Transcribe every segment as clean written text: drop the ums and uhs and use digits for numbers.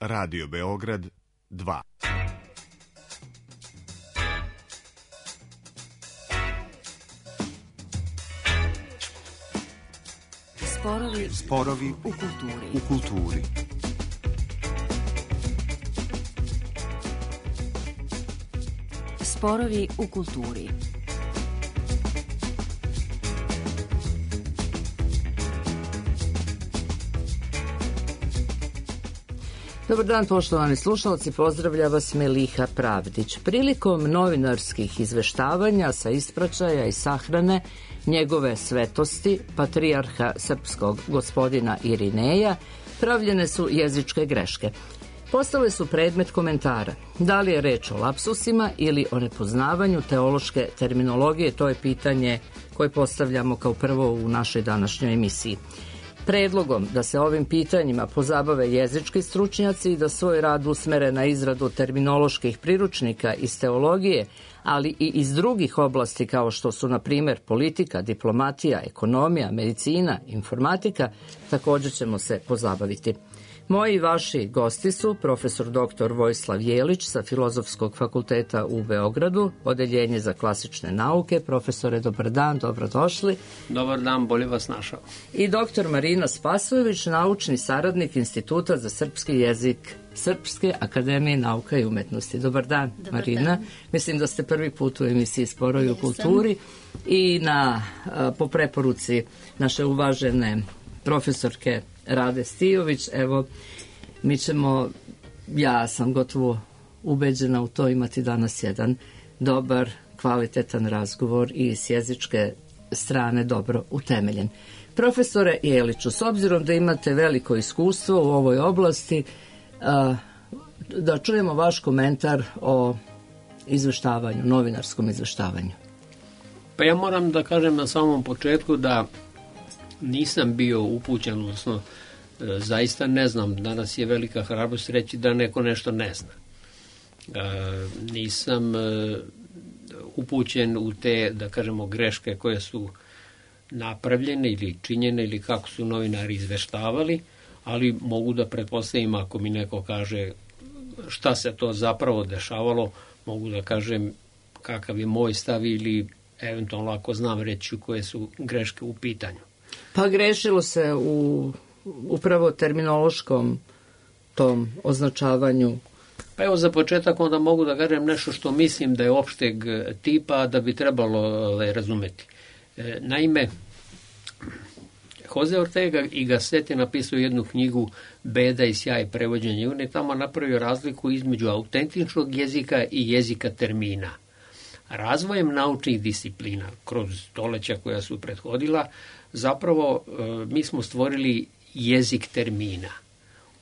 Radio Beograd 2. Sporovi u kulturi. Sporovi u kulturi. Dobar dan, poštovani slušalci, pozdravlja vas Meliha Pravdić. Prilikom novinarskih izveštavanja sa ispraćaja i sahrane njegove svetosti, patrijarha srpskog gospodina Irineja, pravljene su jezičke greške. Postale su predmet komentara. Da li je reč o lapsusima ili o nepoznavanju teološke terminologije, to je pitanje koje postavljamo kao prvo u našoj današnjoj emisiji. Predlogom da se ovim pitanjima pozabave jezički stručnjaci i da svoj rad usmere na izradu terminoloških priručnika iz teologije, ali i iz drugih oblasti kao što su, na primjer, politika, diplomatija, ekonomija, medicina, informatika, također ćemo se pozabaviti. Moji i vaši gosti su profesor dr. Vojislav Jelić sa Filozofskog fakulteta u Beogradu, Odeljenje za klasične nauke. Profesore, dobar dan, dobrodošli. Dobar dan, bolje vas našao. I dr. Marina Spasojević, naučni saradnik Instituta za srpski jezik Srpske akademije nauka i umetnosti. Dobar dan, Marina. Dan. Mislim da ste prvi put u emisiji Sporovi u kulturi i po preporuci naše uvažene profesorke Rade Stijović, evo, mi ćemo, ja sam gotovo ubeđena u to, imati danas jedan dobar, kvalitetan razgovor i s jezičke strane dobro utemeljen. Profesore Jeliću, s obzirom da imate veliko iskustvo u ovoj oblasti, da čujemo vaš komentar o izveštavanju, novinarskom izveštavanju. Pa ja moram da kažem na samom početku da nisam bio upućen, odnosno zaista ne znam, danas je velika hrabrost reći da neko nešto ne zna. Nisam upućen u te, da kažemo, greške koje su napravljene ili činjene ili kako su novinari izveštavali, ali mogu da pretpostavim ako mi neko kaže šta se to zapravo dešavalo, mogu da kažem kakav je moj stav ili eventualno ako znam reći koje su greške u pitanju. Pa grešilo se u upravo terminološkom tom označavanju. Pa evo za početak onda mogu da kažem nešto što mislim da je opšteg tipa da bi trebalo razumeti. Naime, Jose Ortega y Gasset je napisao jednu knjigu Beda i sjaj prevođenja i on je tamo napravio razliku između autentičnog jezika i jezika termina. Razvojem naučnih disciplina kroz stoleća koja su prethodila, zapravo mi smo stvorili jezik termina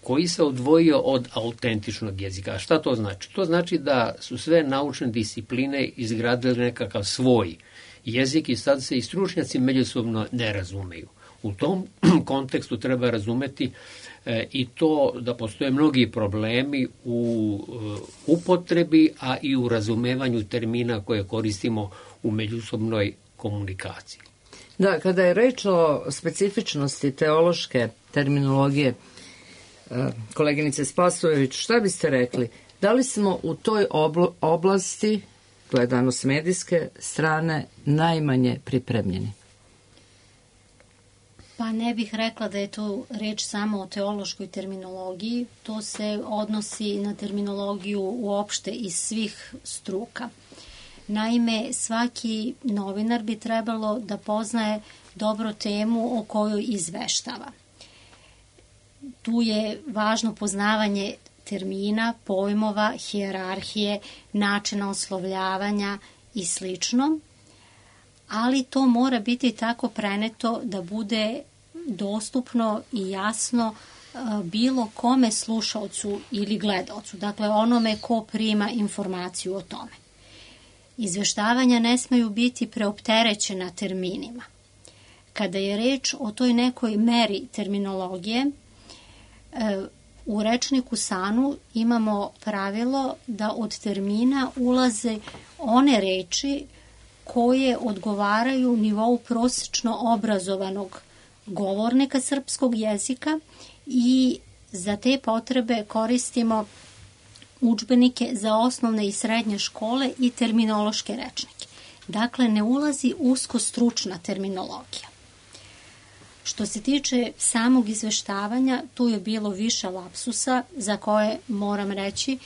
koji se odvojio od autentičnog jezika. A šta to znači? To znači da su sve naučne discipline izgradile nekakav svoj jezik i sad se i stručnjaci međusobno ne razumeju. U tom kontekstu treba razumeti i to da postoje mnogi problemi u upotrebi, a i u razumevanju termina koje koristimo u međusobnoj komunikaciji. Da, kada je reč o specifičnosti teološke terminologije, koleginice Spasojević, šta biste rekli? Da li smo u toj oblasti, gledano s medijske strane, najmanje pripremljeni? Pa ne bih rekla da je to reč samo o teološkoj terminologiji, to se odnosi na terminologiju uopšte iz svih struka. Naime, svaki novinar bi trebalo da poznaje dobro temu o kojoj izveštava. Tu je važno poznavanje termina, pojmova, hijerarhije, načina oslovljavanja i slično, ali to mora biti tako preneto da bude dostupno i jasno bilo kome slušaocu ili gledaocu, dakle onome ko prima informaciju o tome. Izveštavanja ne smeju biti preopterećena terminima. Kada je reč o toj nekoj meri terminologije, u rečniku SANU imamo pravilo da od termina ulaze one reči koje odgovaraju nivou prosečno obrazovanog govornika srpskog jezika i za te potrebe koristimo udžbenike za osnovne i srednje škole i terminološke rečnike. Dakle, ne ulazi usko stručna terminologija. Što se tiče samog izveštavanja, tu je bilo više lapsusa za koje moram reći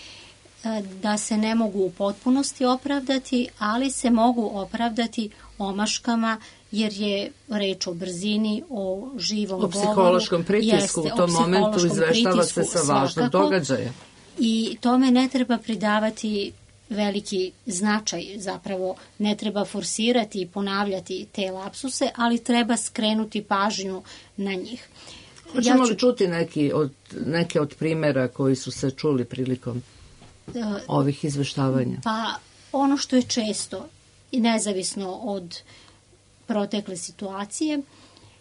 da se ne mogu u potpunosti opravdati, ali se mogu opravdati omaškama, jer je reč o brzini, o živom govoru. O psihološkom pritisku, u tom momentu izveštava se sa važnog događaja. I tome ne treba pridavati veliki značaj, zapravo ne treba forsirati i ponavljati te lapsuse, ali treba skrenuti pažnju na njih. Hoćemo li čuti neke od primjera koji su se čuli prilikom ovih izveštavanja? Pa ono što je često i nezavisno od protekle situacije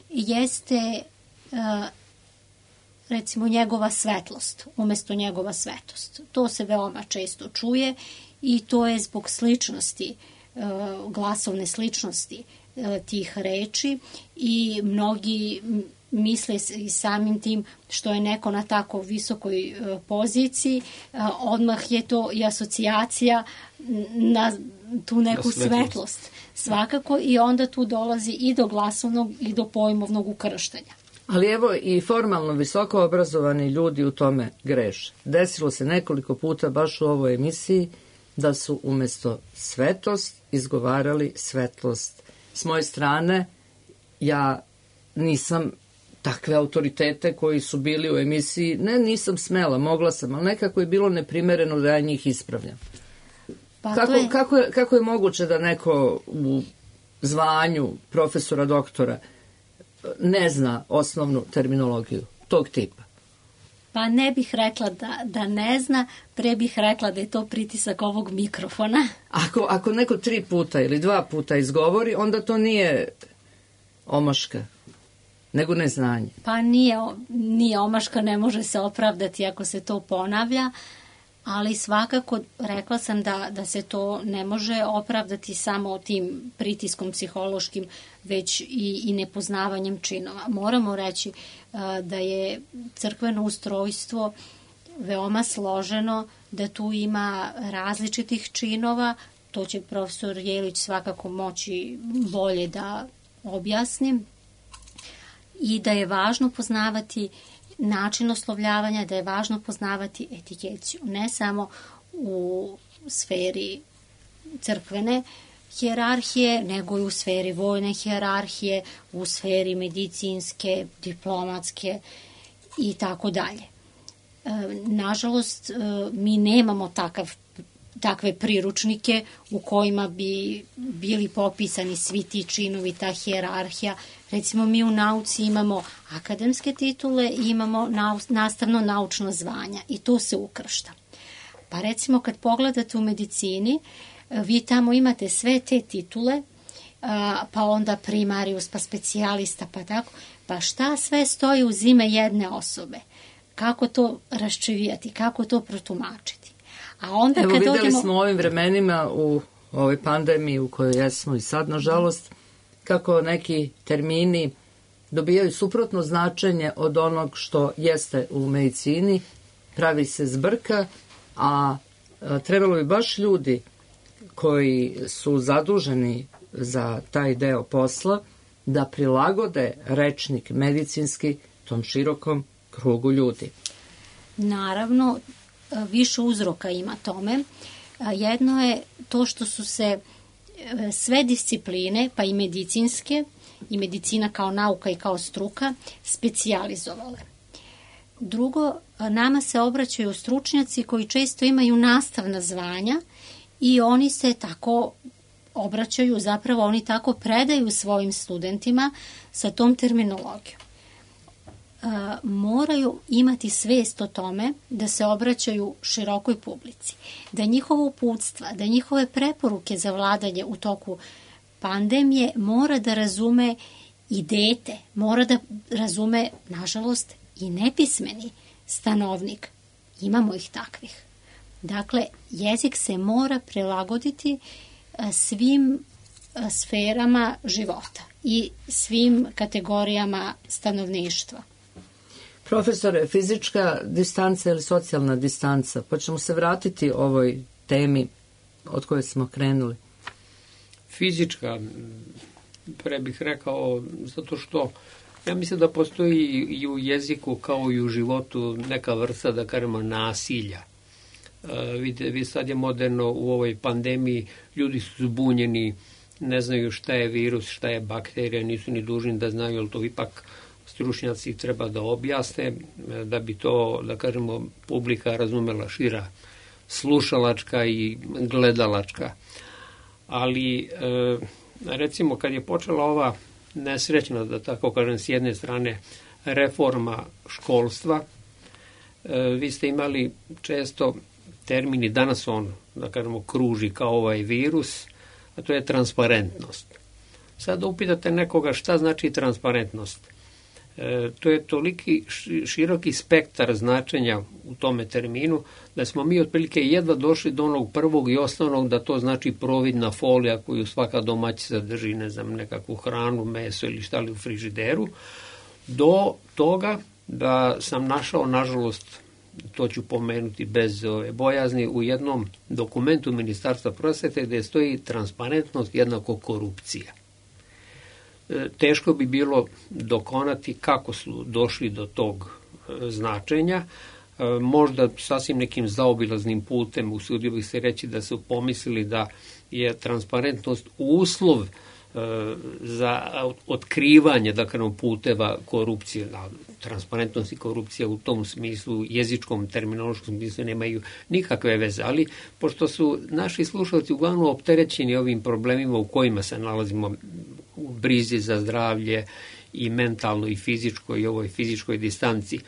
jeste recimo njegova svetlost umjesto njegova svetost. To se veoma često čuje i to je zbog sličnosti, glasovne sličnosti tih reči i mnogi misle i samim tim što je neko na tako visokoj poziciji, odmah je to i asocijacija na tu neku svetlost. Svakako i onda tu dolazi i do glasovnog i do pojmovnog ukrštanja. Ali evo i formalno visoko obrazovani ljudi u tome greše. Desilo se nekoliko puta baš u ovoj emisiji da su umjesto svetost izgovarali svetlost. S moje strane ja nisam takve autoritete koji su bili u emisiji, nisam smela, mogla sam, ali nekako je bilo neprimereno da ja njih ispravljam. Pa kako je moguće da neko u zvanju profesora, doktora ne zna osnovnu terminologiju tog tipa? Pa ne bih rekla da ne zna, pre bih rekla da je to pritisak ovog mikrofona. Ako neko 3 puta ili 2 puta izgovori, onda to nije omaška, nego neznanje. Pa nije omaška, ne može se opravdati ako se to ponavlja, ali svakako rekla sam da se to ne može opravdati samo tim pritiskom psihološkim, već i nepoznavanjem činova. Moramo reći da je crkveno ustrojstvo veoma složeno, da tu ima različitih činova, to će profesor Jelić svakako moći bolje da objasni, i da je važno poznavati način oslovljavanja, da je važno poznavati etikeciju, ne samo u sferi crkvene hijerarhije, nego i u sferi vojne hijerarhije, u sferi medicinske, diplomatske i tako dalje. Nažalost, mi nemamo takve priručnike u kojima bi bili popisani svi ti činovi, ta hijerarhija. Recimo, mi u nauci imamo akademske titule i imamo nastavno naučno zvanja i to se ukršta. Pa recimo, kad pogledate u medicini, vi tamo imate sve te titule, pa onda primarius, pa specijalista, pa tako. Pa šta sve stoji uz ime jedne osobe? Kako to raščivijati? Kako to protumačiti? A onda evo, vidjeli smo u ovim vremenima, u ovoj pandemiji u kojoj jesmo i sad, nažalost, kako neki termini dobijaju suprotno značenje od onog što jeste u medicini, pravi se zbrka, a trebalo bi baš ljudi koji su zaduženi za taj deo posla da prilagode rečnik medicinski tom širokom krugu ljudi. Naravno, više uzroka ima tome. Jedno je to što su se sve discipline, pa i medicinske, i medicina kao nauka i kao struka, specijalizovale. Drugo, nama se obraćaju stručnjaci koji često imaju nastavna zvanja i oni se tako obraćaju, zapravo oni tako predaju svojim studentima sa tom terminologijom. Moraju imati svest o tome da se obraćaju širokoj publici, da njihova uputstva, da njihove preporuke za vladanje u toku pandemije mora da razume i dete, mora da razume, nažalost, i nepismeni stanovnik. Imamo ih takvih. Dakle, jezik se mora prilagoditi svim sferama života i svim kategorijama stanovništva. Profesore, fizička distanca ili socijalna distanca, pa ćemo se vratiti ovoj temi od koje smo krenuli. Fizička, pre bih rekao, zato što ja mislim da postoji i u jeziku kao i u životu neka vrsta, da kažemo, nasilja. Vi sad je moderno u ovoj pandemiji, ljudi su zbunjeni, ne znaju šta je virus, šta je bakterija, nisu ni dužni da znaju, ali to ipak stručnjaci treba da objasne, da bi to, da kažemo, publika razumela šira, slušalačka i gledalačka. Ali, recimo, kad je počela ova nesrećna, da tako kažem, s jedne strane reforma školstva, vi ste imali često termini, danas on, da kažemo, kruži kao ovaj virus, a to je transparentnost. Sad da upitate nekoga šta znači transparentnost. To je toliki široki spektar značenja u tome terminu, da smo mi otprilike jedva došli do onog prvog i osnovnog, da to znači providna folija koju svaka domaćica drži, ne znam, nekakvu hranu, meso ili šta li u frižideru, do toga da sam našao, nažalost, to ću pomenuti bez bojazni, u jednom dokumentu Ministarstva prosvete gde stoji transparentnost jednako korupcija. Teško bi bilo dokonati kako su došli do tog značenja. Možda sasvim nekim zaobilaznim putem, usudio bih se reći da su pomislili da je transparentnost uslov za otkrivanje, da kažemo, puteva korupcije. Transparentnost i korupcija u tom smislu, jezičkom, terminološkom smislu nemaju nikakve veze, ali pošto su naši slušalci uglavnom opterećeni ovim problemima u kojima se nalazimo, u brizi za zdravlje i mentalno i fizičko i ovoj fizičkoj distanci,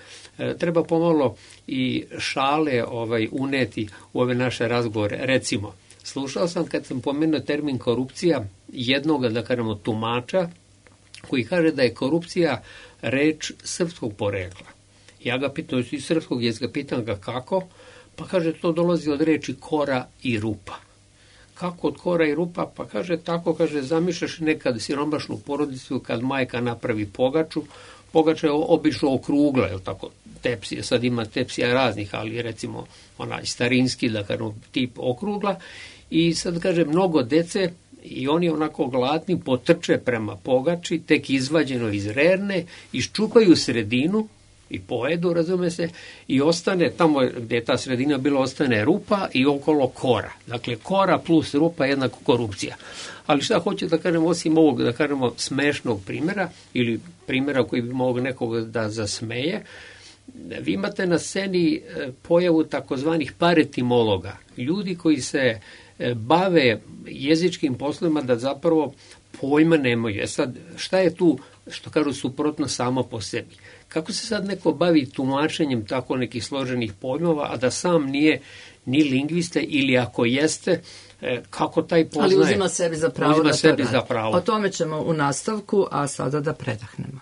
treba pomalo i šale uneti u ove naše razgovore. Recimo, slušao sam kad sam pomenuo termin korupcija jednog, da kažemo, tumača koji kaže da je korupcija reč srpskog porekla. Ja ga pitam iz srpskog jezika, pitam ga kako, pa kaže to dolazi od reči kora i rupa. Kako od kora i rupa? Pa kaže tako, kaže, zamišljaš nekad siromašnu porodicu kad majka napravi pogaču, pogača je obično okrugla, je li tako, tepsija, sad ima tepsija raznih, ali recimo onaj starinski, da kažemo, tip okrugla, i sad kaže mnogo dece i oni onako gladni potrče prema pogači, tek izvađeno iz rerne, iščupaju sredinu i pojedu, razume se, i ostane tamo gde je ta sredina bila, ostane rupa i okolo kora. Dakle, kora plus rupa je jednako korupcija. Ali šta hoću da kažem, osim ovog, da kažemo, smešnog primjera, ili primjera koji bi mogao nekog da zasmeje, vi imate na sceni pojavu takozvanih paretimologa, ljudi koji se bave jezičkim poslovima da zapravo pojma nemaju. Sad, šta je tu, što kažu, suprotno samo po sebi? Kako se sad neko bavi tumačenjem tako nekih složenih pojmova, a da sam nije ni lingvista, ili ako jeste, kako taj poznaje? Ali uzima sebi za pravo uzima da sebi to za pravo. O tome ćemo u nastavku, a sada da predahnemo.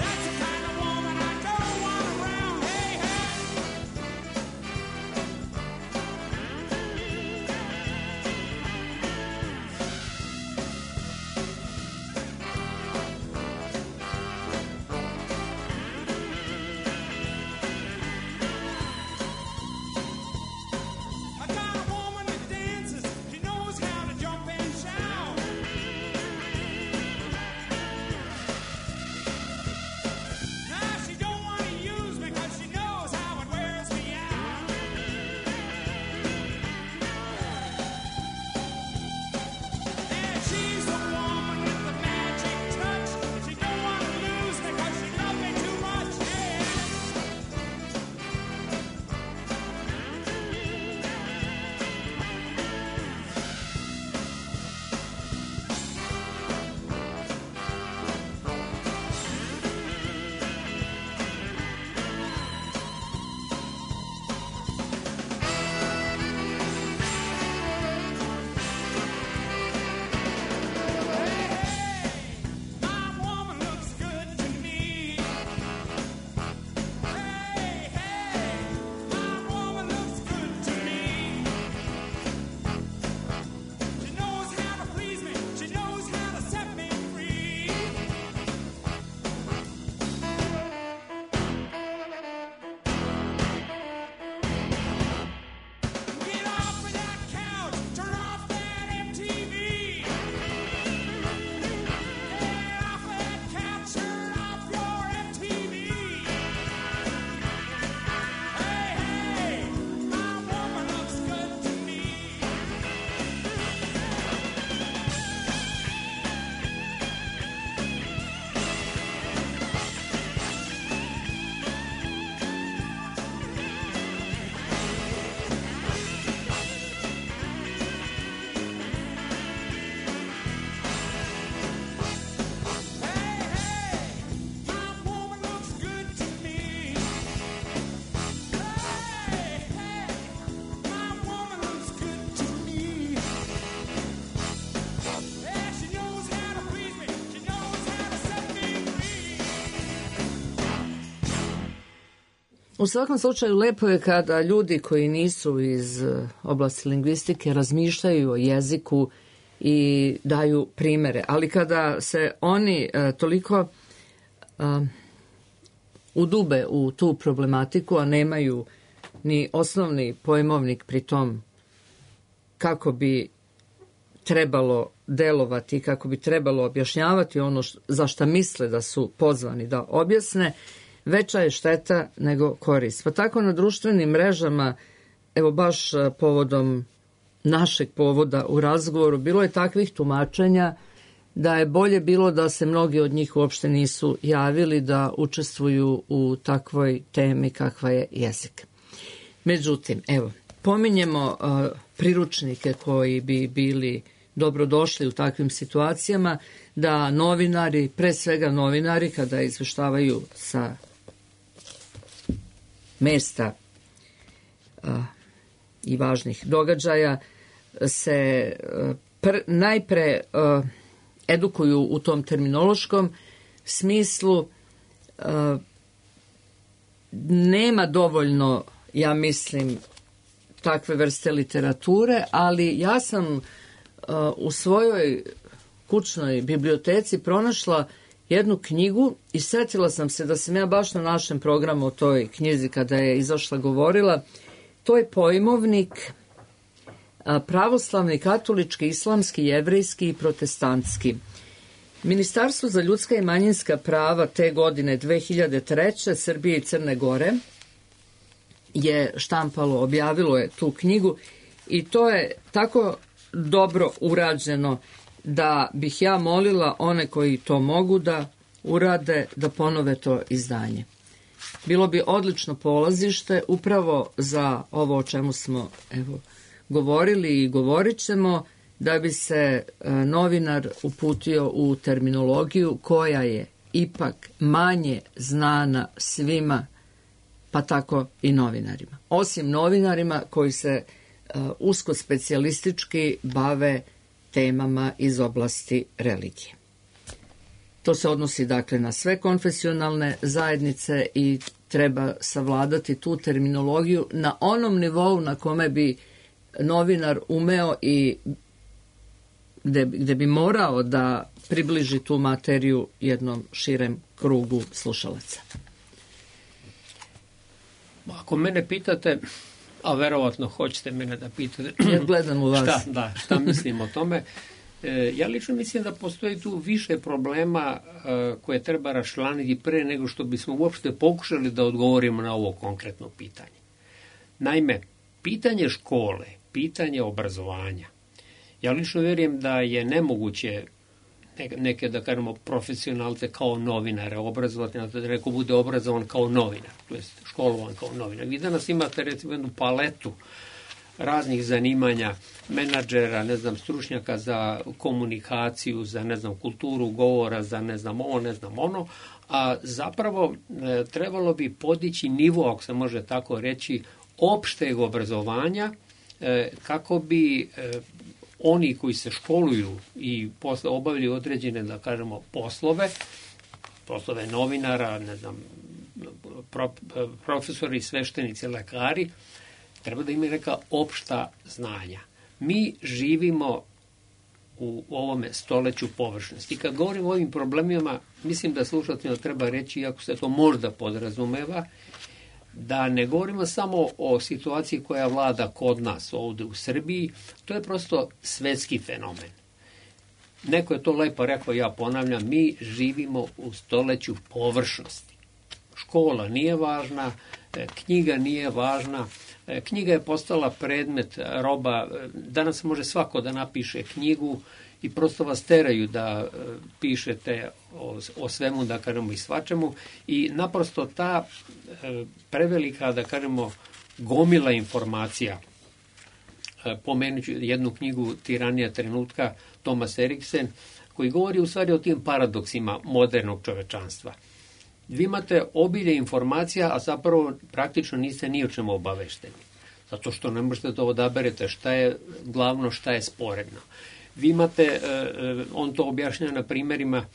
That's the kind of woman U svakom slučaju lepo je kada ljudi koji nisu iz oblasti lingvistike razmišljaju o jeziku i daju primere, ali kada se oni toliko udube u tu problematiku, a nemaju ni osnovni pojmovnik pri tom kako bi trebalo delovati, kako bi trebalo objašnjavati ono za šta misle da su pozvani da objasne, veća je šteta nego korist. Pa tako na društvenim mrežama, evo baš povodom našeg povoda u razgovoru, bilo je takvih tumačenja da je bolje bilo da se mnogi od njih uopšte nisu javili da učestvuju u takvoj temi kakva je jezik. Međutim, evo, pominjemo priručnike koji bi bili dobrodošli u takvim situacijama, da novinari, pre svega novinari, kada izveštavaju sa mesta i važnih događaja, se najpre edukuju u tom terminološkom smislu. Nema dovoljno, ja mislim, takve vrste literature, ali ja sam u svojoj kućnoj biblioteci pronašla jednu knjigu i setila sam se da sam ja baš na našem programu o toj knjizi kada je izašla govorila. To je pojmovnik pravoslavni, katolički, islamski, jevrejski i protestantski. Ministarstvo za ljudska i manjinska prava te godine 2003. Srbije i Crne Gore je štampalo, objavilo je tu knjigu i to je tako dobro urađeno da bih ja molila one koji to mogu da urade, da ponove to izdanje. Bilo bi odlično polazište upravo za ovo o čemu smo govorili i govorit ćemo, da bi se novinar uputio u terminologiju koja je ipak manje znana svima, pa tako i novinarima. Osim novinarima koji se usko specijalistički bave temama iz oblasti religije. To se odnosi dakle na sve konfesionalne zajednice i treba savladati tu terminologiju na onom nivou na kome bi novinar umeo i gde bi morao da približi tu materiju jednom širem krugu slušalaca. Ako mene pitate, a verovatno hoćete mene da pitate, ja gledam u vas. Šta mislim o tome, ja lično mislim da postoji tu više problema koje treba raščlaniti pre nego što bismo uopšte pokušali da odgovorimo na ovo konkretno pitanje. Naime, pitanje škole, pitanje obrazovanja, ja lično vjerujem da je nemoguće neke, da kažemo, profesionalce kao novinare obrazovati, da neko bude obrazovan kao novinar, to je školovan kao novinar. Vi danas imate recimo jednu paletu raznih zanimanja, menadžera, stručnjaka za komunikaciju, za kulturu govora, za ovo, ono, a zapravo trebalo bi podići nivo, ako se može tako reći, opšteg obrazovanja, kako bi oni koji se školuju i posle obavljaju određene, da kažemo, poslove novinara, profesori, sveštenici, lekari, treba da imaju neka opšta znanja. Mi živimo u ovome stoleću površnosti. I kad govorimo o ovim problemima, mislim da slušateljima treba reći, iako se to možda podrazumeva, da ne govorimo samo o situaciji koja vlada kod nas ovde u Srbiji, to je prosto svetski fenomen. Neko je to lepo rekao, ja ponavljam, mi živimo u stoleću površnosti. Škola nije važna, knjiga nije važna, knjiga je postala predmet, roba, danas može svako da napiše knjigu i prosto vas teraju da pišete o svemu, da kažemo, i svačemu, i naprosto ta prevelika, da kažemo, gomila informacija. Pomenut ću jednu knjigu Tiranija trenutka, Thomas Eriksen, koji govori u stvari o tim paradoksima modernog čovečanstva. Vi imate obilje informacija, a zapravo praktično niste ni o čemu obavešteni. Zato što ne možete da odaberete šta je glavno, šta je sporedno. Vi imate, on to objašnjava na primjerima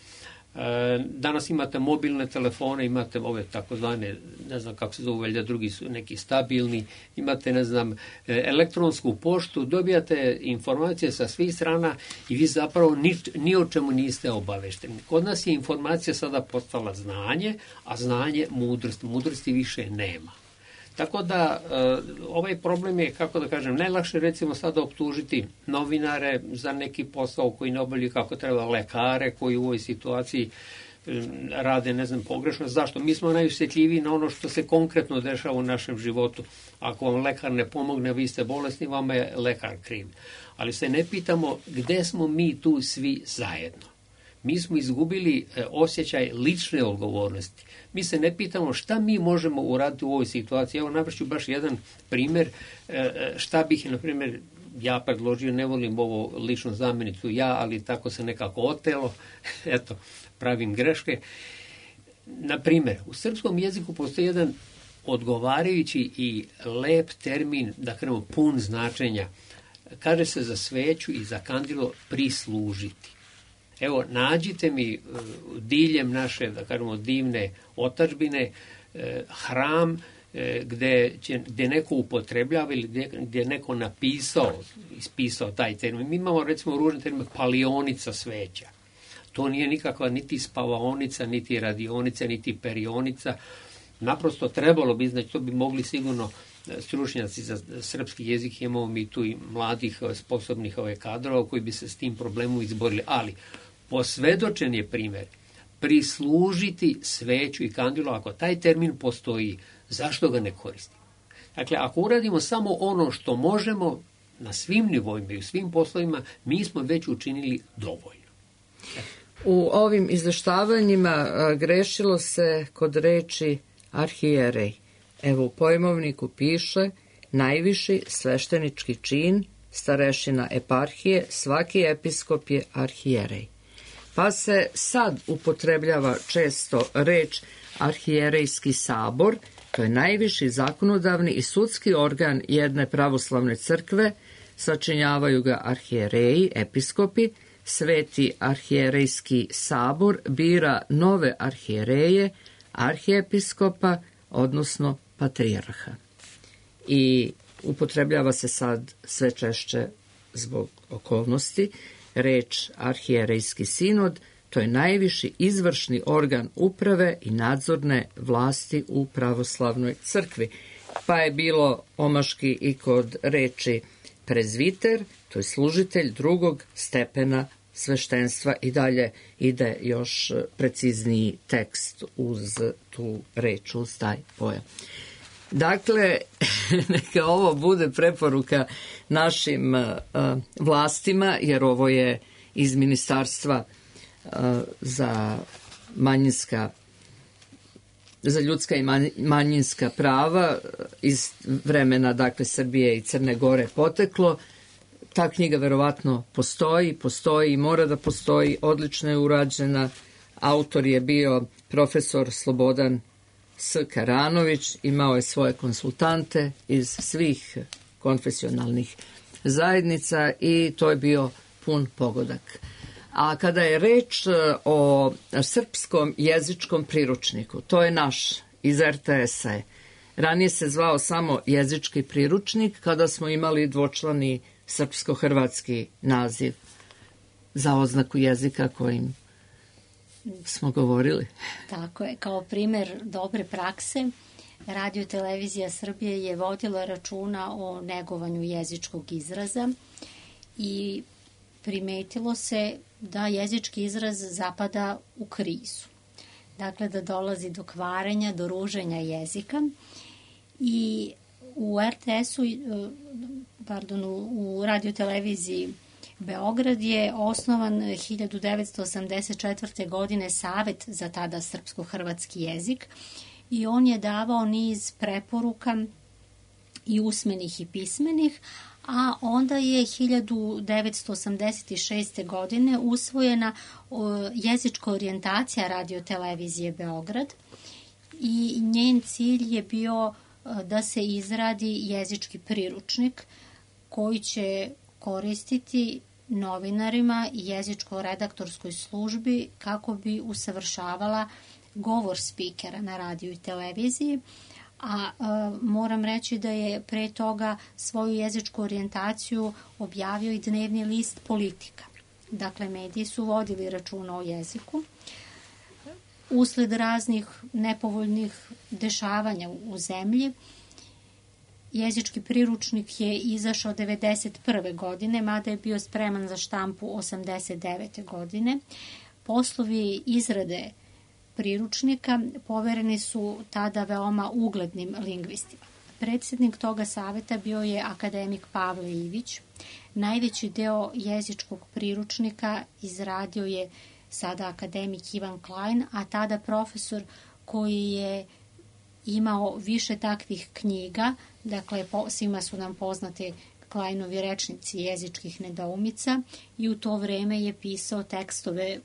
Danas imate mobilne telefone, imate ove takozvane, ne znam kako se zove, valjda drugi su neki stabilni, imate, ne znam, elektronsku poštu, dobijate informacije sa svih strana i vi zapravo ni o čemu niste obavešteni. Kod nas je informacija sada postala znanje, a znanje mudrost. Mudrosti više nema. Tako da ovaj problem je, kako da kažem, najlakše recimo sada optužiti novinare za neki posao koji ne obavljaju kako treba, lekare koji u ovoj situaciji rade, ne znam, pogrešno. Zašto? Mi smo najosjetljiviji na ono što se konkretno dešava u našem životu. Ako vam lekar ne pomogne, vi ste bolesni, vama je lekar kriv. Ali se ne pitamo gde smo mi tu svi zajedno. Mi smo izgubili osjećaj lične odgovornosti. Mi se ne pitamo šta mi možemo uraditi u ovoj situaciji. Evo, navršću baš jedan primjer šta bih, na primjer, ja predložio, ne volim ovo ličnu zamenicu ja, ali tako se nekako otelo, eto, pravim greške. Na primjer, u srpskom jeziku postoji jedan odgovarajući i lep termin, da kažemo pun značenja. Kaže se za sveću i za kandilo prislužiti. Evo, nađite mi diljem naše, da kažemo, divne otadžbine, hram gdje neko upotrebljava ili gdje neko ispisao taj termin. Mi imamo, recimo, ružni termin palionica sveća. To nije nikakva niti spavaonica, niti radionica, niti perionica. Naprosto trebalo bi, znači, to bi mogli sigurno stručnjaci za srpski jezik, imamo mi tu i mladih sposobnih kadrova koji bi se s tim problemom izborili. Ali posvedočen je primjer prislužiti sveću i kandilu. Ako taj termin postoji, zašto ga ne koristimo? Dakle, ako uradimo samo ono što možemo na svim nivoima i u svim poslovima, mi smo već učinili dovoljno. U ovim izveštavanjima grešilo se kod reči arhijerej. Evo, u pojmovniku piše najviši sveštenički čin, starešina eparhije, svaki episkop je arhijerej. Pa se sad upotrebljava često reč arhijerejski sabor, to je najviši zakonodavni i sudski organ jedne pravoslavne crkve, sačinjavaju ga arhijereji, episkopi, sveti arhijerejski sabor bira nove arhijereje, arhijepiskopa, odnosno patrijarha. I upotrebljava se sad sve češće zbog okolnosti reč arhijerejski sinod, to je najviši izvršni organ uprave i nadzorne vlasti u pravoslavnoj crkvi. Pa je bilo omaški i kod reči prezviter, to je služitelj drugog stepena sveštenstva, i dalje ide još precizniji tekst uz tu reč, uz taj pojam. Dakle, neka ovo bude preporuka našim vlastima, jer ovo je iz Ministarstva za ljudska i manjinska prava iz vremena, dakle, Srbije i Crne Gore poteklo. Ta knjiga verovatno postoji i mora da postoji, odlično je urađena. Autor je bio profesor Slobodan S. Karanović, imao je svoje konsultante iz svih konfesionalnih zajednica i to je bio pun pogodak. A kada je reč o srpskom jezičkom priručniku, to je naš iz RTS-a. Ranije se zvao samo jezički priručnik, kada smo imali dvočlani srpsko-hrvatski naziv za oznaku jezika kojim smo govorili. Tako je, kao primjer dobre prakse, Radio Televizija Srbije je vodila računa o negovanju jezičkog izraza i primetilo se da jezički izraz zapada u krizu. Dakle, da dolazi do kvarenja, do ruženja jezika i u RTS-u, u Radio Televiziji Beograd je osnovan 1984. godine Savet za tada srpsko-hrvatski jezik i on je davao niz preporuka i usmenih i pismenih, a onda je 1986. godine usvojena jezička orijentacija Radio Televizije Beograd i njen cilj je bio da se izradi jezički priručnik koji će koristiti novinarima i jezičko-redaktorskoj službi kako bi usavršavala govor spikera na radiju i televiziji, a moram reći da je pre toga svoju jezičku orijentaciju objavio i dnevni list Politika. Dakle, mediji su vodili računa o jeziku. Usled raznih nepovoljnih dešavanja u zemlji, jezički priručnik je izašao 1991. godine, mada je bio spreman za štampu 1989. godine. Poslovi izrade priručnika povereni su tada veoma uglednim lingvistima. Predsjednik toga saveta bio je akademik Pavle Ivić. Najveći deo jezičkog priručnika izradio je sada akademik Ivan Klein, a tada profesor koji je imao više takvih knjiga, dakle svima su nam poznate Kleinovi rečnici jezičkih nedoumica, i u to vreme je pisao tekstove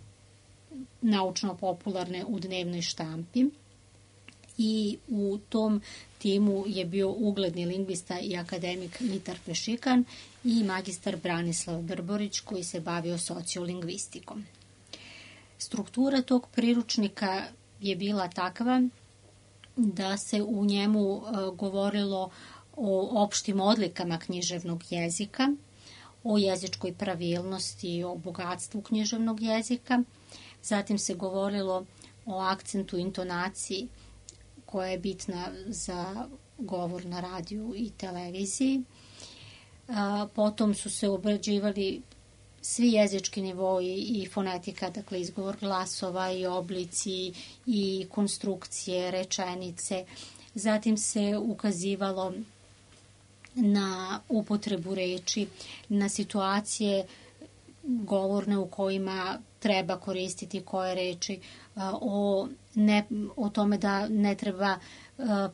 naučno-popularne u dnevnoj štampi, i u tom timu je bio ugledni lingvista i akademik Mitar Pešikan i magistar Branislav Brborić koji se bavio sociolingvistikom. Struktura tog priručnika je bila takva da se u njemu govorilo o opštim odlikama književnog jezika, o jezičkoj pravilnosti, o bogatstvu književnog jezika. Zatim se govorilo o akcentu, intonaciji koja je bitna za govor na radiju i televiziji. Potom su se obrađivali svi jezički nivoi i fonetika, dakle izgovor glasova i oblici i konstrukcije, rečenice. Zatim se ukazivalo na upotrebu reči, na situacije govorne u kojima treba koristiti koje reči, o tome da ne treba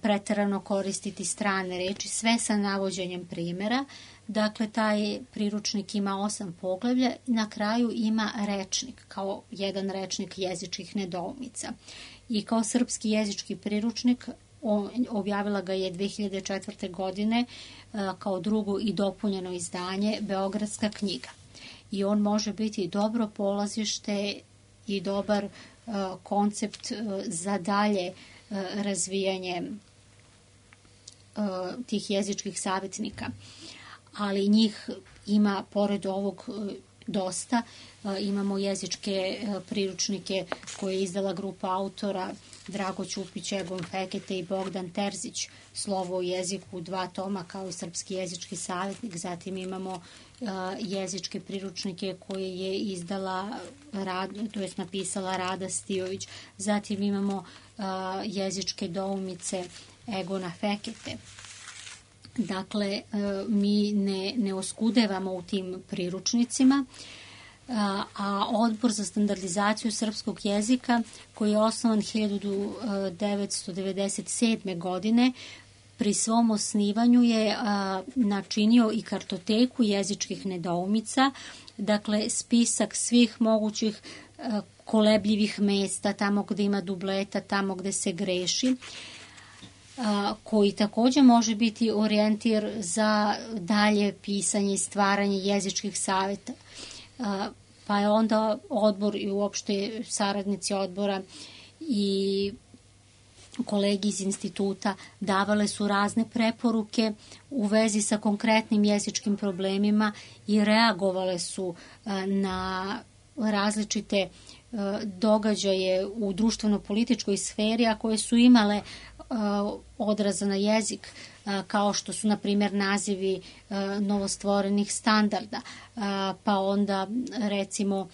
preterano koristiti strane reči, sve sa navođenjem primjera. Dakle, taj priručnik ima 8 poglavlja i na kraju ima rečnik, kao jedan rečnik jezičkih nedoumica. I kao srpski jezički priručnik objavila ga je 2004. godine kao drugo i dopunjeno izdanje Beogradska knjiga. I on može biti dobro polazište i dobar koncept za dalje razvijanje tih jezičkih savjetnika. Ali njih ima, pored ovog, dosta. Imamo jezičke priručnike koje je izdala grupa autora Drago Ćupić, Egon Fekete i Bogdan Terzić, Slovo u jeziku, 2 toma, kao i Srpski jezički savjetnik. Zatim imamo jezičke priručnike koje je izdala, to jest napisala Rada Stijović. Zatim imamo jezičke doumice Egona Fekete. Dakle, mi ne oskudevamo u tim priručnicima, a Odbor za standardizaciju srpskog jezika, koji je osnovan 1997. godine, pri svom osnivanju je načinio i kartoteku jezičkih nedoumica, dakle spisak svih mogućih kolebljivih mesta, tamo gde ima dubleta, tamo gde se greši, koji također može biti orijentir za dalje pisanje i stvaranje jezičkih savjeta. Pa je onda odbor i uopšte saradnici odbora i kolegi iz instituta davale su razne preporuke u vezi sa konkretnim jezičkim problemima i reagovale su na različite događaje u društveno-političkoj sferi, a koje su imale odraza na jezik, kao što su, na primjer, nazivi novostvorenih standarda, pa onda, recimo,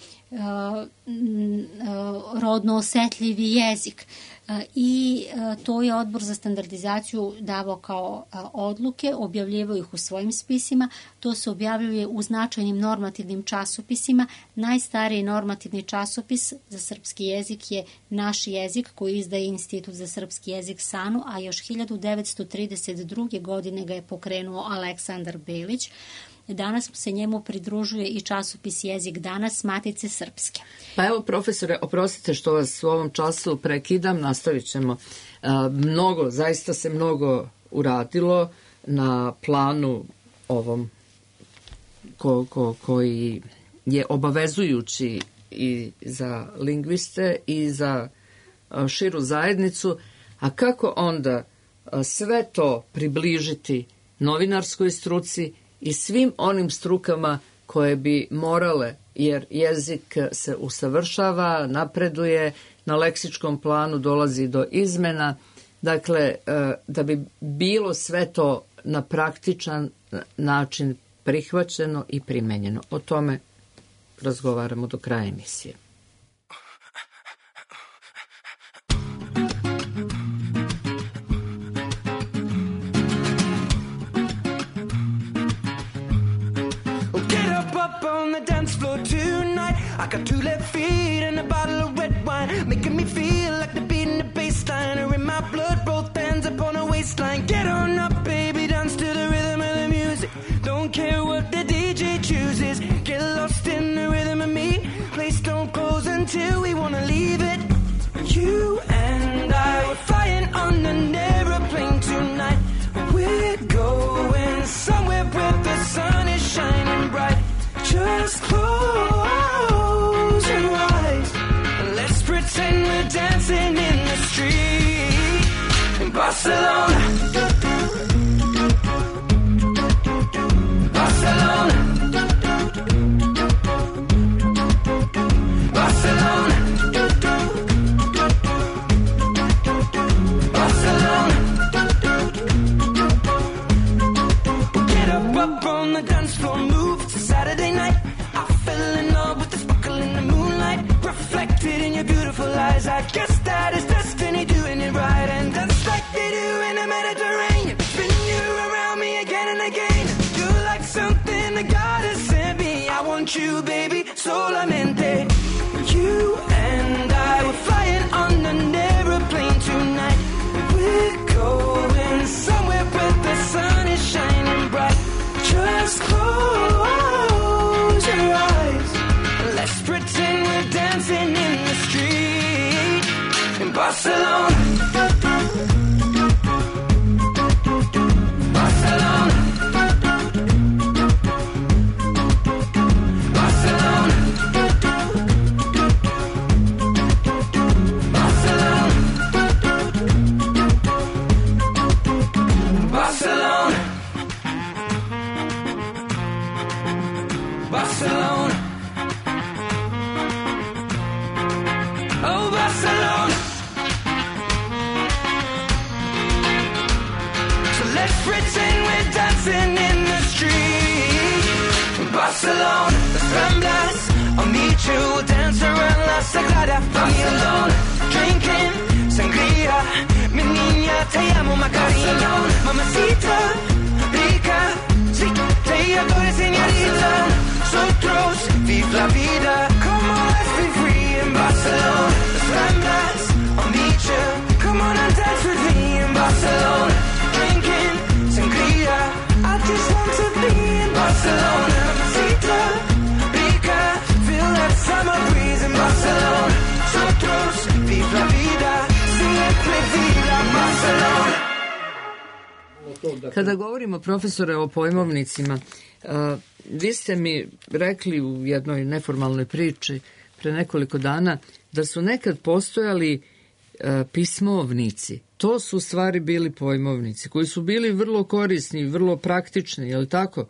rodno osetljivi jezik. I to je Odbor za standardizaciju davao kao odluke, objavljivao ih u svojim spisima. To se objavljuje u značajnim normativnim časopisima. Najstariji normativni časopis za srpski jezik je Naš jezik, koji izdaje Institut za srpski jezik SANU, a još 1932. godine ga je pokrenuo Aleksandar Belić. Danas se njemu pridružuje i časopis Jezik danas Matice Srpske. Pa evo, profesore, oprostite što vas u ovom času prekidam, nastavit ćemo. Zaista se mnogo uradilo na planu ovom koji je obavezujući i za lingviste i za širu zajednicu, a kako onda sve to približiti novinarskoj struci i svim onim strukama koje bi morale, jer jezik se usavršava, napreduje, na leksičkom planu dolazi do izmena, dakle, da bi bilo sve to na praktičan način prihvaćeno i primenjeno. O tome razgovaramo do kraja emisije. I got 2 left feet and a bottle of red wine, making me feel like the beat in the bass line are in my blood, both hands up on the waistline. Get on up, baby, dance to the rhythm of the music. Don't care what the DJ chooses. Get lost in the rhythm of me. Place don't close until we wanna leave it. You and I were flying on an aeroplane tonight. We're going somewhere where the sun is shining bright. Just close your eyes and let's pretend we're dancing in the street in Barcelona. Barcelona. Barcelona. Barcelona. Get up on the dance floor, move. It's a Saturday night. I fell in love with the sparkle in the moonlight, reflected in your beautiful eyes. I guess that is destiny doing it right, and just like they do in the Mediterranean, spin you around me again and again. You're like something that God has sent me. I want you, baby, solamente. You and I were flying on an aeroplane tonight. We're going somewhere where the sun is shining bright. Just close your eyes. Let's pretend we're dancing in the street in Barcelona. Barcelona. Barcelona. Barcelona. Barcelona. Barcelona. Oh, Barcelona. So let's pretend we're dancing in the street in Barcelona. Las Ramblas, I'll meet you, we'll dance around La Sagrada Barcelona. Drinking sangria, mi niña, te amo, Macarena. Mamacita, rica, sí, te adoro, señorita. Nosotros, vive la vida, come on, let's be free in Barcelona. Las Ramblas, I'll meet you, come on and dance with me in Barcelona. Drinking sangria, I just want to be in Barcelona. Mamacita, rica, feel that summer breeze in Barcelona. Nosotros, vive la vida, siempre viva Barcelona. Kada govorimo, profesore, o pojmovnicima, vi ste mi rekli u jednoj neformalnoj priči pre nekoliko dana da su nekad postojali pismovnici. To su u stvari bili pojmovnici koji su bili vrlo korisni, vrlo praktični, je li tako?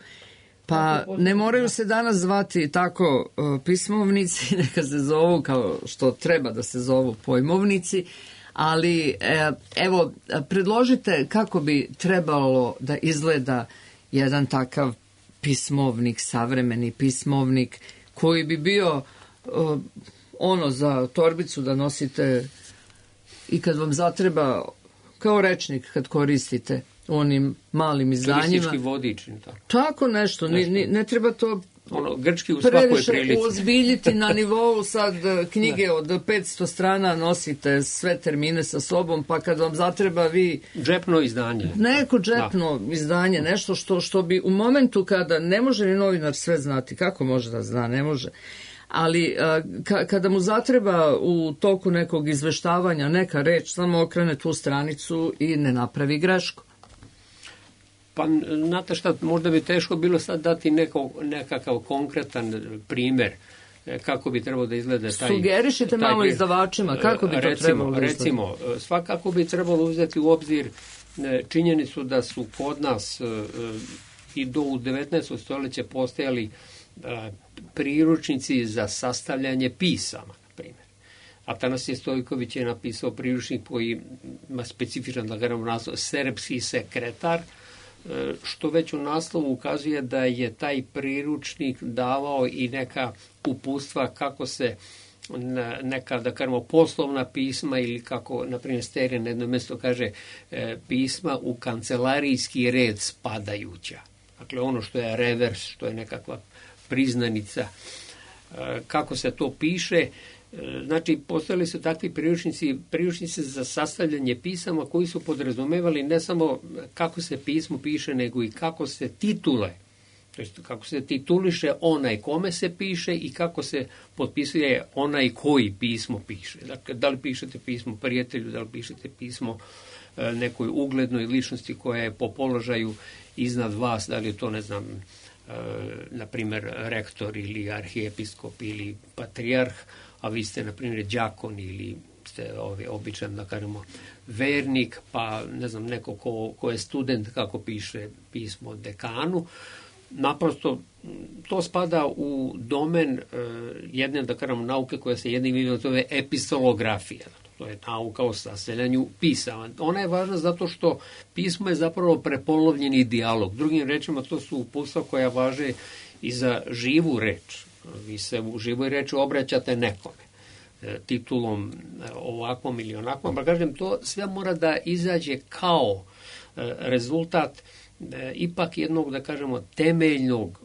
Pa ne moraju se danas zvati tako pismovnici, neka se zovu kao što treba da se zovu pojmovnici, ali evo, predložite kako bi trebalo da izgleda jedan takav pismovnik, savremeni pismovnik, koji bi bio ono za torbicu da nosite i kad vam zatreba, kao rečnik kad koristite u onim malim izdanjima. Turistički vodič. Tako nešto, ne treba to grčki u svakoj prilici. Ozbiljiti na nivou sad knjige od 500 strana, nosite sve termine sa sobom, pa kad vam zatreba vi... Džepno izdanje. Neko džepno izdanje, nešto što bi u momentu kada ne može ni novinar sve znati, kako može da zna, ne može. Ali kada mu zatreba u toku nekog izveštavanja neka reč, samo okrene tu stranicu i ne napravi grešku. Pa, znate šta, možda bi teško bilo sad dati nekakav konkretan primjer kako bi trebalo da izgleda taj... Sugerišite malo izdavačima, kako bi to trebalo da izgleda? Recimo, svakako bi trebalo uzeti u obzir činjenicu da su kod nas i do u 19. stoljeće postojali priručnici za sastavljanje pisama, na primjer. Atanasije Stojković je napisao priručnik koji ima specifičan, da kažem, naslov Serbski sekretar, što već u naslovu ukazuje da je taj priručnik davao i neka uputstva kako se neka, da kažemo, poslovna pisma ili kako, na primjer, Sterija na jedno mjesto kaže pisma u kancelarijski red spadajuća. Dakle, ono što je revers, što je nekakva priznanica, kako se to piše. Znači, postojali su takvi priručnici za sastavljanje pisama koji su podrazumevali ne samo kako se pismo piše, nego i kako se titule, to jest kako se tituliše onaj kome se piše i kako se potpisuje onaj koji pismo piše. Dakle, da li pišete pismo prijatelju, da li pišete pismo nekoj uglednoj ličnosti koja je po položaju iznad vas, da li je to, ne znam, na primjer, rektor ili arhijepiskop ili patrijarh, a vi ste, na primjer, đakon ili ste običan, da kažemo, vernik, pa, ne znam, neko ko je student, kako piše pismo dekanu. Naprosto, to spada u domen jedne, da kažemo, nauke koja se jednim imenom zove epistolografija. To je nauka o sastavljanju pisama. Ona je važna zato što pismo je zapravo prepolovljeni dijalog. Drugim rečima, to su uputstva koja važe i za živu reč. Vi se u živoj reči obraćate nekome titulom ovakvom ili onakvom. Pa kažem, to sve mora da izađe kao rezultat ipak jednog, da kažemo, temeljnog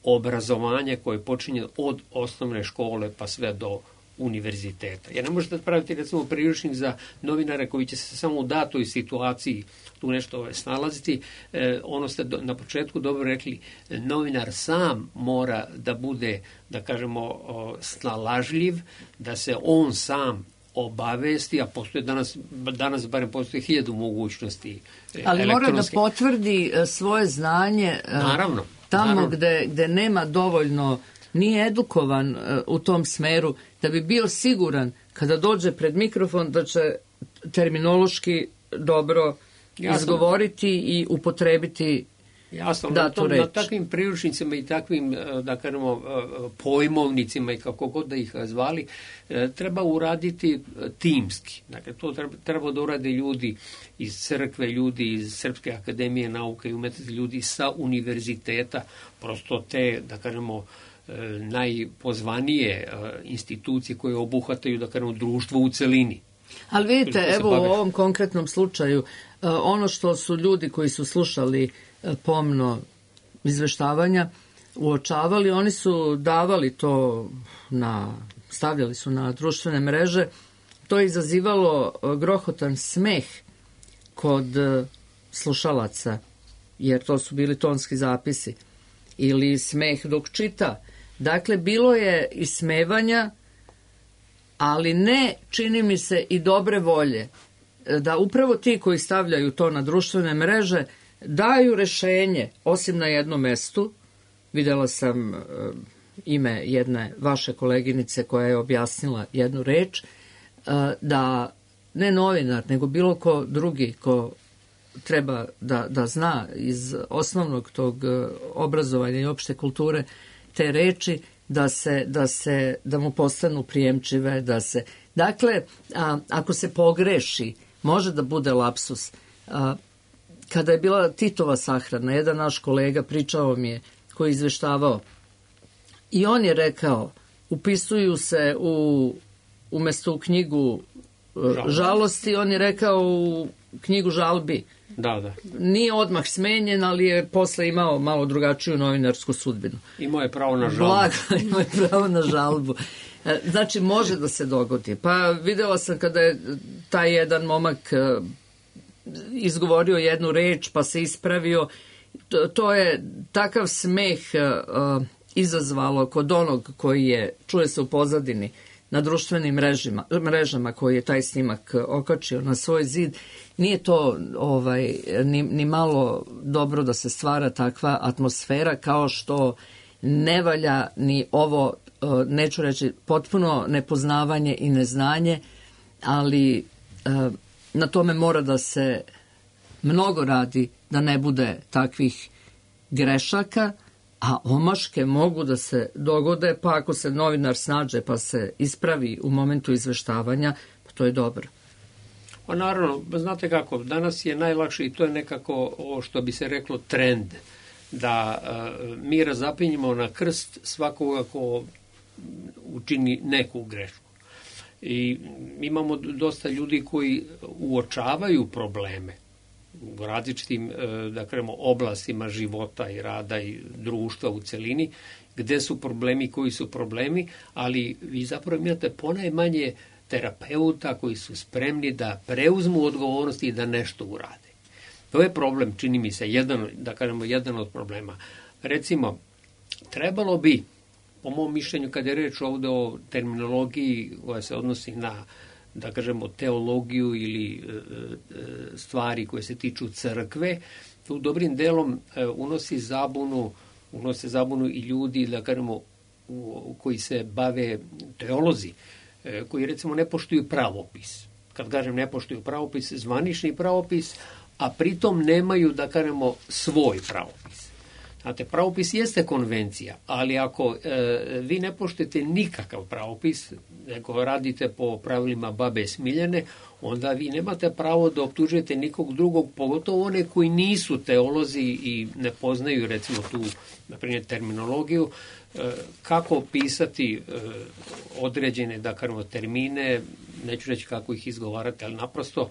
obrazovanja koje počinje od osnovne škole pa sve do univerziteta. Jer ne možete praviti, recimo, priručnik za novinare koji će se samo u datoj situaciji tu nešto snalaziti. Ono ste na početku dobro rekli, novinar sam mora da bude, da kažemo, snalažljiv, da se on sam obavesti, a postoje danas barem postoji 1000 mogućnosti ali mora da potvrdi svoje znanje. Naravno. Tamo gde nema dovoljno, nije edukovan u tom smeru, da bi bio siguran kada dođe pred mikrofon da će terminološki dobro izgovoriti i upotrebiti datu reč. Na takvim priručnicima i takvim, da kažemo, pojmovnicima i kako god da ih zvali, treba uraditi timski. Dakle, to treba da urade ljudi iz crkve, ljudi iz Srpske akademije nauke i umetnosti, ljudi sa univerziteta, prosto te, da kažemo, najpozvanije institucije koje obuhvataju, da kažemo, društvo u celini. Ali vidite, evo u ovom konkretnom slučaju, ono što su ljudi koji su slušali pomno izveštavanja uočavali, oni su davali to stavljali su na društvene mreže, to je izazivalo grohotan smeh kod slušalaca, jer to su bili tonski zapisi, ili smeh dok čita. Dakle, bilo je ismevanja, ali ne, čini mi se, i dobre volje, da upravo ti koji stavljaju to na društvene mreže daju rešenje, osim na jednom mestu. Videla sam ime jedne vaše koleginice koja je objasnila jednu reč, da ne novinar, nego bilo ko drugi ko treba da zna iz osnovnog tog obrazovanja i opšte kulture te reči, da mu postanu prijemčive, Dakle, ako se pogreši, može da bude lapsus. Kada je bila Titova sahrana, jedan naš kolega pričao mi je, koji je izveštavao, i on je rekao, upisuju se umesto u knjigu žalosti, on je rekao u knjigu žalbi. Da. Nije odmah smenjen, ali je posle imao malo drugačiju novinarsku sudbinu. Imao je pravo na žalbu. Blago, imao je pravo na žalbu. Znači, može da se dogodi. Pa videla sam kada je taj jedan momak izgovorio jednu reč, pa se ispravio. To je takav smeh izazvalo kod onog koji je, čuje se u pozadini, na društvenim mrežama koji je taj snimak okačio na svoj zid, nije to ni malo dobro da se stvara takva atmosfera, kao što ne valja ni ovo, neću reći potpuno nepoznavanje i neznanje, ali na tome mora da se mnogo radi da ne bude takvih grešaka, a omaške mogu da se dogode, pa ako se novinar snađe pa se ispravi u momentu izveštavanja, pa to je dobro. Pa naravno, znate kako, danas je najlakše i to je nekako ovo što bi se reklo trend, da mi razapinjimo na krst svakoga ko učini neku grešku. I imamo dosta ljudi koji uočavaju probleme u različitim, da kažemo, oblastima života i rada i društva u celini, gde su problemi, koji su problemi, ali vi zapravo imate ponajmanje terapeuta koji su spremni da preuzmu odgovornost i da nešto urade. To je problem, čini mi se, jedan od problema. Recimo, trebalo bi, po mom mišljenju, kada je reč ovde o terminologiji koja se odnosi na, da kažemo, teologiju ili stvari koje se tiču crkve, tu dobrim delom unose zabunu i ljudi, da kažemo, koji se bave teolozi, koji recimo ne poštuju pravopis. Kad kažem ne poštuju pravopis, zvanični pravopis, a pritom nemaju, da kažemo, svoj pravopis. Znate, pravopis jeste konvencija, ali ako vi ne poštujete nikakav pravopis, nego radite po pravilima babe Smiljane, onda vi nemate pravo da optužujete nikog drugog, pogotovo one koji nisu teolozi i ne poznaju, recimo, tu, na primjer, terminologiju, kako pisati određene, da kažemo, termine, neću reći kako ih izgovarati, ali naprosto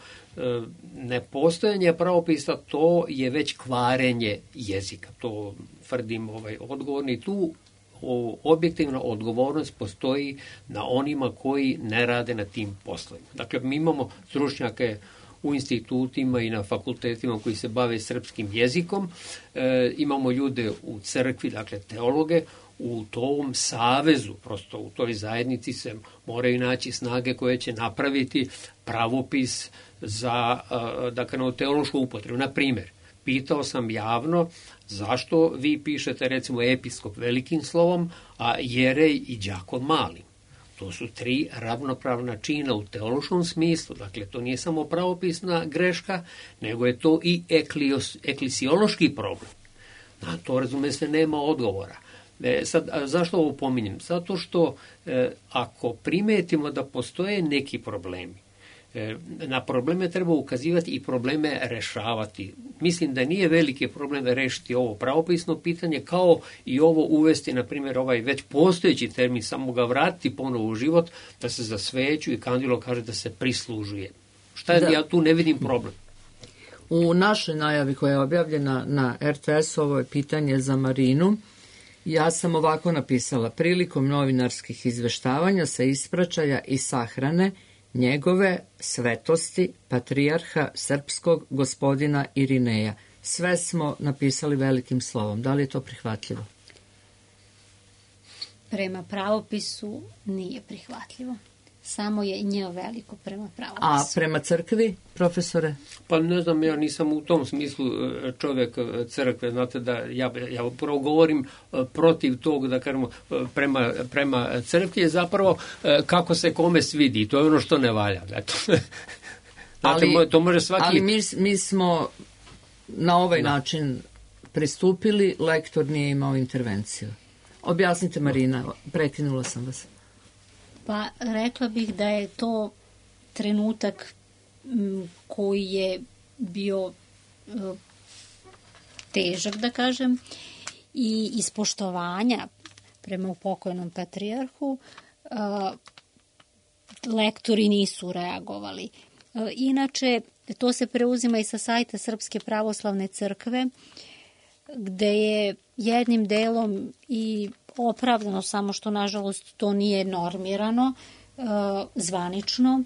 nepostojanje pravopisa, to je već kvarenje jezika. To tvrdim odgovorni. Tu objektivna odgovornost postoji na onima koji ne rade na tim poslovima. Dakle, mi imamo stručnjake u institutima i na fakultetima koji se bave srpskim jezikom, imamo ljude u crkvi, dakle teologe, u tom savezu, prosto u toj zajednici se moraju naći snage koje će napraviti pravopis za, dakle, teološku upotrebu. Na primjer, pitao sam javno zašto vi pišete, recimo, episkop velikim slovom, a jerej i đakon malim. To su 3 ravnopravna čina u teološkom smislu. Dakle, to nije samo pravopisna greška, nego je to i eklisiološki problem. Na to, razume se, nema odgovora. Sad, zašto ovo pominjem? Zato što ako primetimo da postoje neki problemi, na probleme treba ukazivati i probleme rešavati. Mislim da nije veliki problem rešiti ovo pravopisno pitanje, kao i ovo uvesti, na primjer, ovaj već postojeći termin, samo ga vratiti ponovo u život, da se za sveću i kandilo kaže da se prislužuje. Ja tu ne vidim problem. U našoj najavi koja je objavljena na RTS, ovo je pitanje za Marinu. Ja sam ovako napisala: prilikom novinarskih izveštavanja sa ispraćaja i sahrane njegove svetosti patrijarha srpskog gospodina Irineja. Sve smo napisali velikim slovom. Da li je to prihvatljivo? Prema pravopisu nije prihvatljivo. Samo je nje veliko prema pravopisu. A prema crkvi, profesore? Pa ne znam, ja nisam u tom smislu čovjek crkve. Znate da ja upravo govorim protiv tog, da kažemo, prema crkvi je zapravo kako se kome svidi. I to je ono što ne valja. Znate, to može svaki... Ali mi smo na ovaj način pristupili, lektor nije imao intervenciju. Objasnite, Marina, prekinula sam vas. Pa rekla bih da je to trenutak koji je bio težak, da kažem, i iz poštovanja prema pokojnom patrijarhu lektori nisu reagovali. Inače, to se preuzima i sa sajta Srpske pravoslavne crkve, gde je jednim delom i opravdano, samo što nažalost to nije normirano zvanično.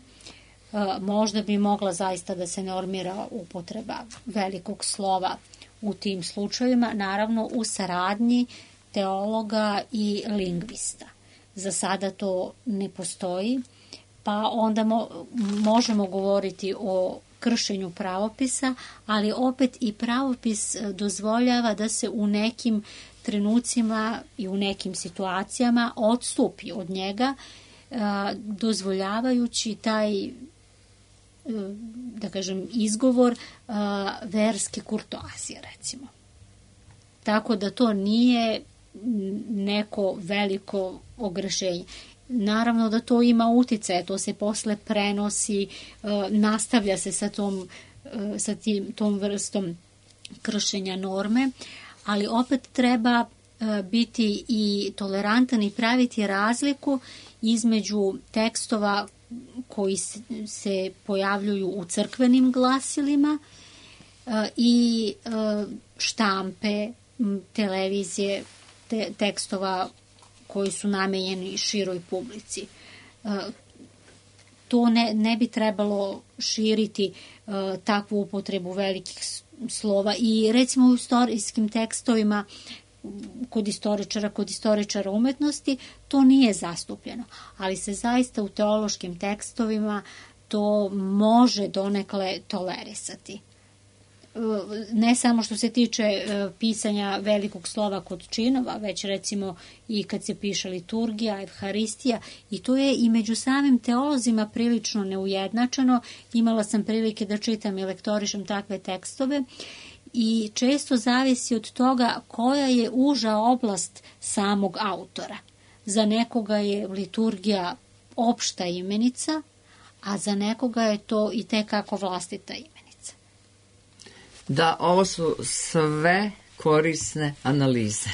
Možda bi mogla zaista da se normira upotreba velikog slova u tim slučajevima, naravno u saradnji teologa i lingvista. za sada to ne postoji, pa onda možemo govoriti o kršenju pravopisa, ali opet i pravopis dozvoljava da se u nekim trenucima i u nekim situacijama odstupi od njega, dozvoljavajući taj, da kažem, izgovor verske kurtoazije, recimo. Tako da to nije neko veliko ogrešenje. Naravno da to ima uticaje, to se posle prenosi, nastavlja se sa tom vrstom kršenja norme, ali opet treba biti i tolerantan i praviti razliku između tekstova koji se pojavljuju u crkvenim glasilima i štampe, televizije, tekstova koji su namenjeni široj publici. To ne bi trebalo širiti takvu upotrebu velikih slova i recimo u istorijskim tekstovima kod istoričara umetnosti to nije zastupljeno, ali se zaista u teološkim tekstovima to može donekle tolerisati. Ne samo što se tiče pisanja velikog slova kod činova, već recimo i kad se piše liturgija, evharistija, i to je i među samim teolozima prilično neujednačeno. Imala sam prilike da čitam i lektorišem takve tekstove i često zavisi od toga koja je uža oblast samog autora. Za nekoga je liturgija opšta imenica, a za nekoga je to i tekako vlastita imenica. Da, ovo su sve korisne analize.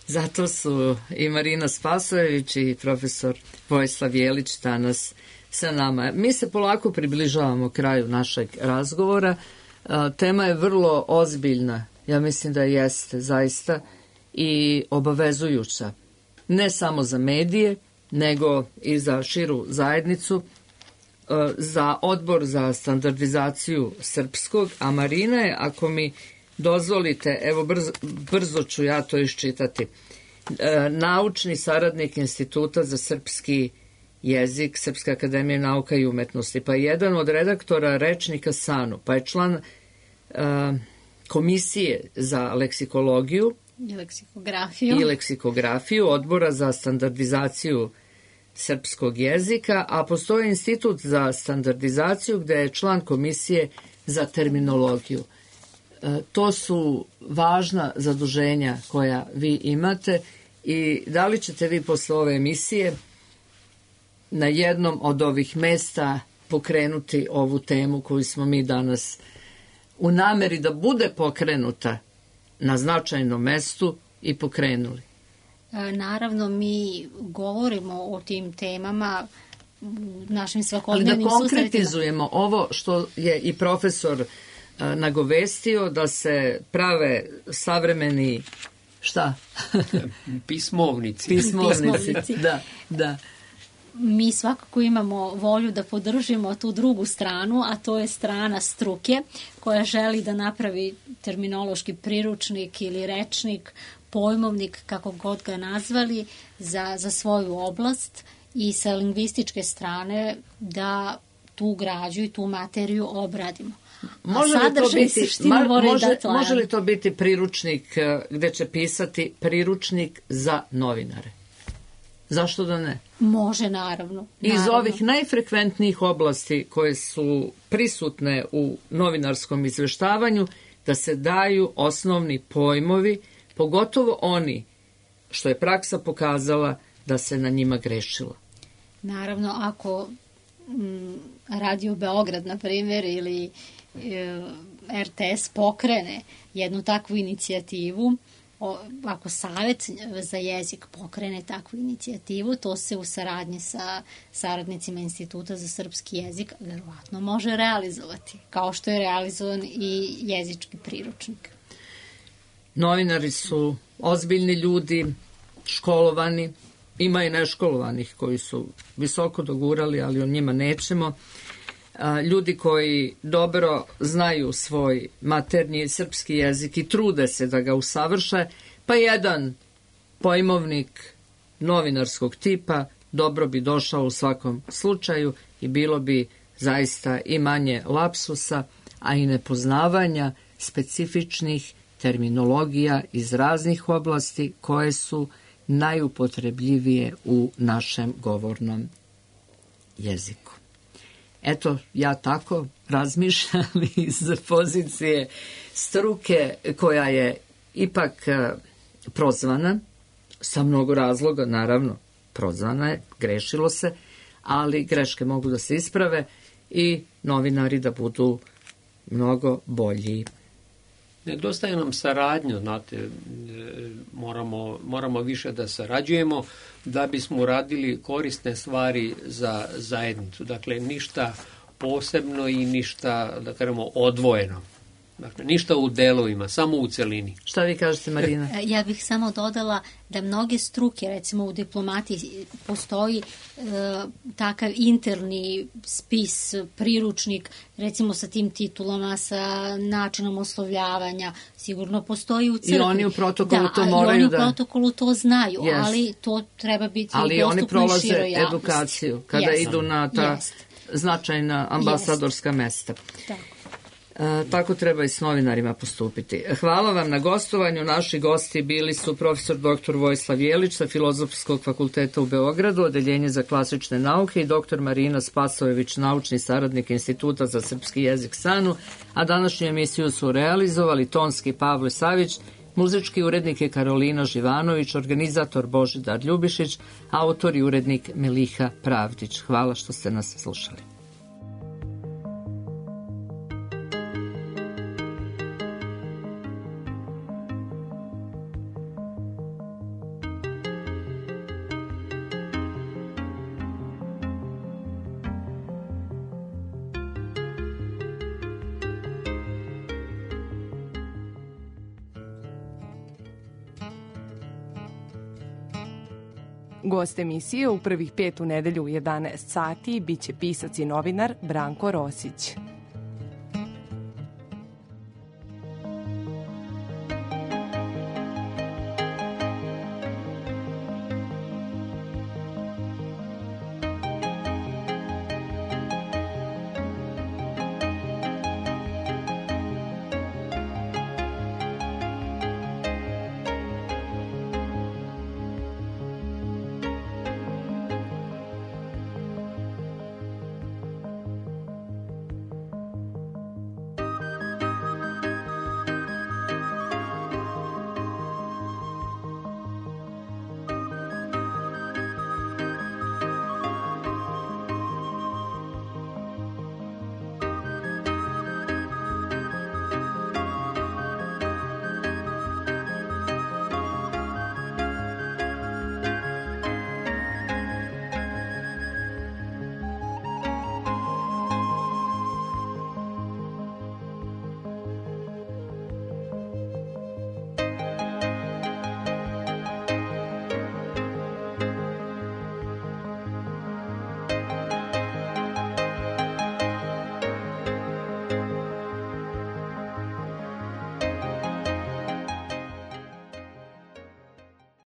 Zato su i Marina Spasojević i profesor Vojislav Jelić danas sa nama. Mi se polako približavamo kraju našeg razgovora. Tema je vrlo ozbiljna, ja mislim da jeste zaista, i obavezujuća. Ne samo za medije, nego i za širu zajednicu, za Odbor za standardizaciju srpskog, a Marina je, ako mi dozvolite, evo brzo ću ja to iščitati, naučni saradnik Instituta za srpski jezik Srpske akademije nauka i umetnosti, pa je jedan od redaktora rečnika SANU, pa je član komisije za leksikologiju i leksikografiju Odbora za standardizaciju srpskog jezika, a postoji Institut za standardizaciju gde je član komisije za terminologiju. To su važna zaduženja koja vi imate i da li ćete vi posle ove emisije na jednom od ovih mesta pokrenuti ovu temu koju smo mi danas u nameri da bude pokrenuta na značajnom mestu i pokrenuli? Naravno, mi govorimo o tim temama našim svakodnevnim susretima. Ali da konkretizujemo ovo što je i profesor nagovestio, da se prave savremeni, šta? Pismovnici. Da. Mi svakako imamo volju da podržimo tu drugu stranu, a to je strana struke koja želi da napravi terminološki priručnik ili rečnik, pojmovnik, kako god ga nazvali, za svoju oblast i sa lingvističke strane da tu građu i tu materiju obradimo. Može li to biti priručnik gde će pisati priručnik za novinare? Zašto da ne? Može, naravno. Iz ovih najfrekventnijih oblasti koje su prisutne u novinarskom izveštavanju, da se daju osnovni pojmovi, pogotovo oni što je praksa pokazala da se na njima grešilo. Naravno, ako Radio Beograd, na primjer, ili RTS pokrene jednu takvu inicijativu, ako Savet za jezik pokrene takvu inicijativu, to se u saradnji sa saradnicima Instituta za srpski jezik verovatno može realizovati, kao što je realizovan i jezički priručnik. Novinari su ozbiljni ljudi, školovani, ima i neškolovanih koji su visoko dogurali, ali o njima nećemo. Ljudi koji dobro znaju svoj maternji srpski jezik i trude se da ga usavrše, pa jedan pojmovnik novinarskog tipa, dobro bi došao u svakom slučaju i bilo bi zaista i manje lapsusa, a i nepoznavanja specifičnih terminologija iz raznih oblasti koje su najupotrebljivije u našem govornom jeziku. Eto, ja tako razmišljam iz pozicije struke koja je ipak prozvana, sa mnogo razloga, naravno, prozvana je, grešilo se, ali greške mogu da se isprave i novinari da budu mnogo bolji. Nedostaje nam saradnja, znate, moramo više da sarađujemo da bismo uradili korisne stvari za zajednicu. Dakle, ništa posebno i ništa, da kažemo, odvojeno. Dakle, ništa u delovima, samo u celini. Šta vi kažete, Marina? Ja bih samo dodala da mnoge struke, recimo u diplomatiji postoji takav interni spis, priručnik, recimo sa tim titulama, sa načinom oslovljavanja, sigurno postoji u crkvi. I oni u protokolu to moraju da... I oni u protokolu to znaju, ali to treba biti dostupno i široj javnosti. Ali oni prolaze edukaciju kada idu na ta značajna ambasadorska mesta. Tako. Tako treba i s novinarima postupiti. Hvala vam na gostovanju. Naši gosti bili su profesor dr. Vojislav Jelić sa Filozofskog fakulteta u Beogradu, Odeljenje za klasične nauke, i dr. Marina Spasojević, naučni saradnik Instituta za srpski jezik SANU, a današnju emisiju su realizovali tonski Pavle Savić, muzički urednik je Karolina Živanović, organizator Božidar Ljubišić, autor i urednik Meliha Pravdić. Hvala što ste nas slušali. Gost emisije u prvih 5 u nedelju u 11 sati biće pisac i novinar Branko Rosić.